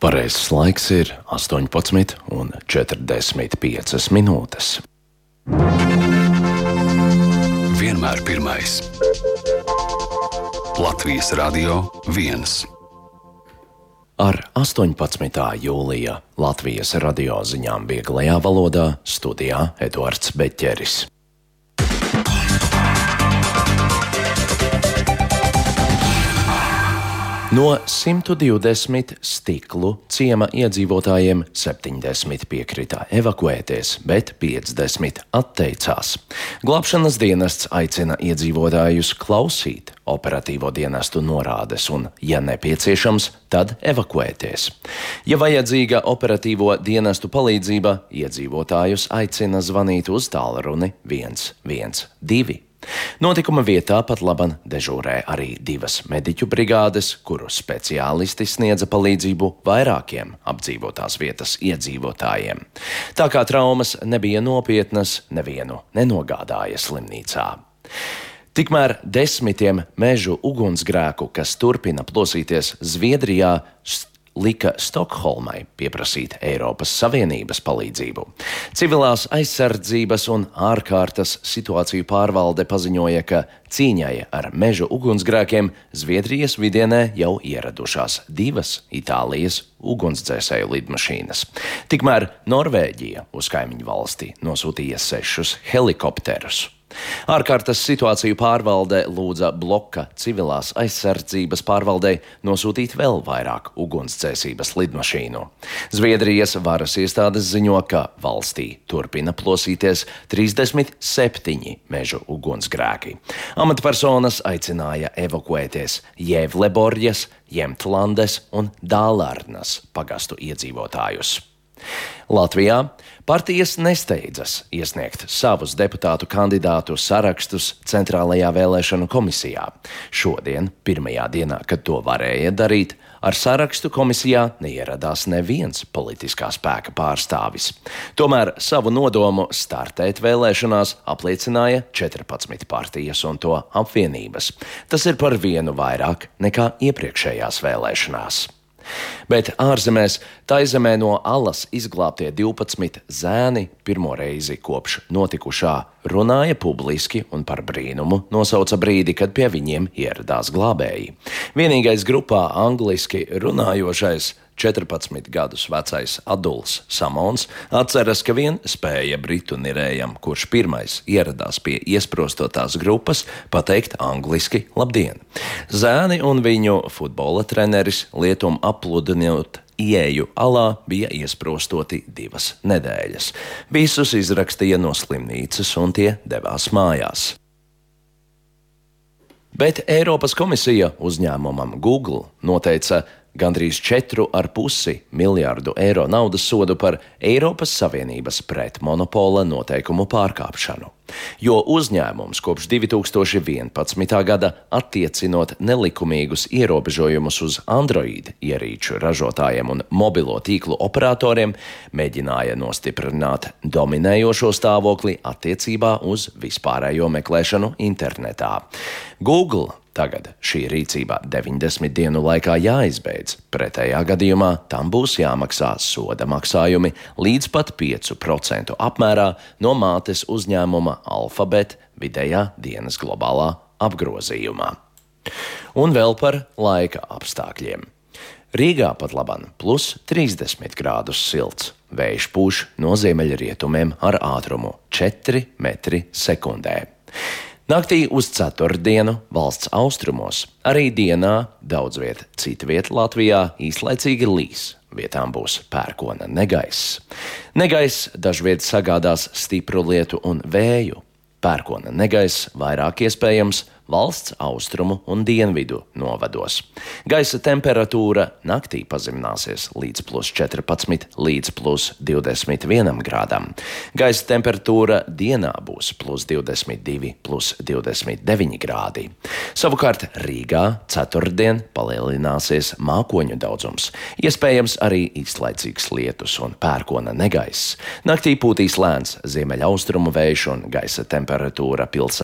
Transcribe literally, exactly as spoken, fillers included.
Pareizais laiks ir astoņpadsmit un četrdesmit piecas minūtes. Vienmēr pirmais. Latvijas Radio viens. Ar astoņpadsmitā jūlija Latvijas radio ziņām vieglajā valodā studijā Eduards Beķeris. No simta divdesmit Stiklu ciema iedzīvotājiem septiņdesmit piekrita evakuēties, bet piecdesmit atteicās. Glābšanas dienests aicina iedzīvotājus klausīt operatīvo dienestu norādes un, ja nepieciešams, tad evakuēties. Ja vajadzīga operatīvo dienestu palīdzība, iedzīvotājus aicina zvanīt uz tālruni viens viens divi. Notikuma vietā pat laban dežūrē arī divas mediķu brigādes, kuru speciālisti sniedza palīdzību vairākiem apdzīvotās vietas iedzīvotājiem. Tā kā traumas nebija nopietnas, nevienu nenogādāja slimnīcā. Tikmēr desmitiem mežu ugunsgrēku, kas turpina plosīties Zviedrijā, lika Stokholmai pieprasīt Eiropas Savienības palīdzību. Civilās aizsardzības un ārkārtas situāciju pārvalde paziņoja, ka cīņai ar mežu ugunsgrēkiem Zviedrijas vidienē jau ieradušās divas Itālijas ugunsdzēsēju lidmašīnas. Tikmēr Norvēģija uz kaimiņu valsti nosūtīja sešus helikopterus. Ārkārtas situāciju pārvalde lūdza bloka civilās aizsardzības pārvaldei nosūtīt vēl vairāk ugunsdzēsības lidmašīnu. Zviedrijas varas iestādes ziņo, ka valstī turpina plosīties trīsdesmit septiņi mežu ugunsgrēki. Amatpersonas aicināja evakuēties Jēvleborjas, Jemtlandes un Dālārnas pagastu iedzīvotājus. Latvijā partijas nesteidzas iesniegt savus deputātu kandidātu sarakstus Centrālajā vēlēšanu komisijā. Šodien, pirmajā dienā, kad to varēja darīt, ar sarakstu komisijā neieradās neviens politiskā spēka pārstāvis. Tomēr savu nodomu startēt vēlēšanās apliecināja četrpadsmit partijas un to apvienības. Tas ir par vienu vairāk nekā iepriekšējās vēlēšanās. Bet ārzemēs Taizemē no alas izglābtie divpadsmit zēni pirmo reizi kopš notikušā runāja publiski un par brīnumu nosauca brīdi, kad pie viņiem ieradās glābēji. Vienīgais grupā angliski runājošais četrpadsmit gadus vecais Aduls Samons atceras, ka vien spēja britu nirējam, kurš pirmais ieradās pie iesprostotās grupas, pateikt angliski labdien. Zēni un viņu futbola treneris lietum apludinot ieeju alā bija iesprostoti divas nedēļas. Visus izrakstīja no slimnīcas un tie devās mājās. Bet Eiropas komisija uzņēmumam Google noteica gandrīz četru ar pusi miljārdu eiro naudas sodu par Eiropas Savienības pretmonopola noteikumu pārkāpšanu. Jo uzņēmums kopš divi tūkstoši vienpadsmitā gada attiecinot nelikumīgus ierobežojumus uz Android ierīču ražotājiem un mobilo tīklu operatoriem, mēģināja nostiprināt dominējošo stāvokli attiecībā uz vispārējo meklēšanu internetā. Google tagad šī rīcība deviņdesmit dienu laikā jāizbeidz, pretējā gadījumā tam būs jāmaksā soda maksājumi līdz pat piecu procentu apmērā no mātes uzņēmuma Alphabet vidējā dienas globālā apgrozījumā. Un vēl par laika apstākļiem. Rīgā pat laban plus trīsdesmit grādus silts, vējš pūš no ziemeļrietumiem ar ātrumu četri metri sekundē. Naktī uz ceturtdienu valsts austrumos, arī dienā daudz viet citviet Latvijā īslaicīgi līs. Vietām būs pērkona negaiss. Negaiss dažviet sagādās stipru lietu un vēju. Pērkona negaiss vairāk iespējams valsts austrumu un dienvidu novados. Gaisa temperatūra naktī pazemināsies līdz plus četrpadsmit līdz plus divdesmit vienam grādam. Gaisa temperatūra dienā būs plus divdesmit divi, plus divdesmit deviņi grādi. Savukārt Rīgā ceturtdien palielināsies mākoņu daudzums. Iespējams arī īslaicīgs lietus un pērkona negaiss. Naktī pūtīs lēns ziemeļaustrumu vējš un gaisa temperatūra pilsētā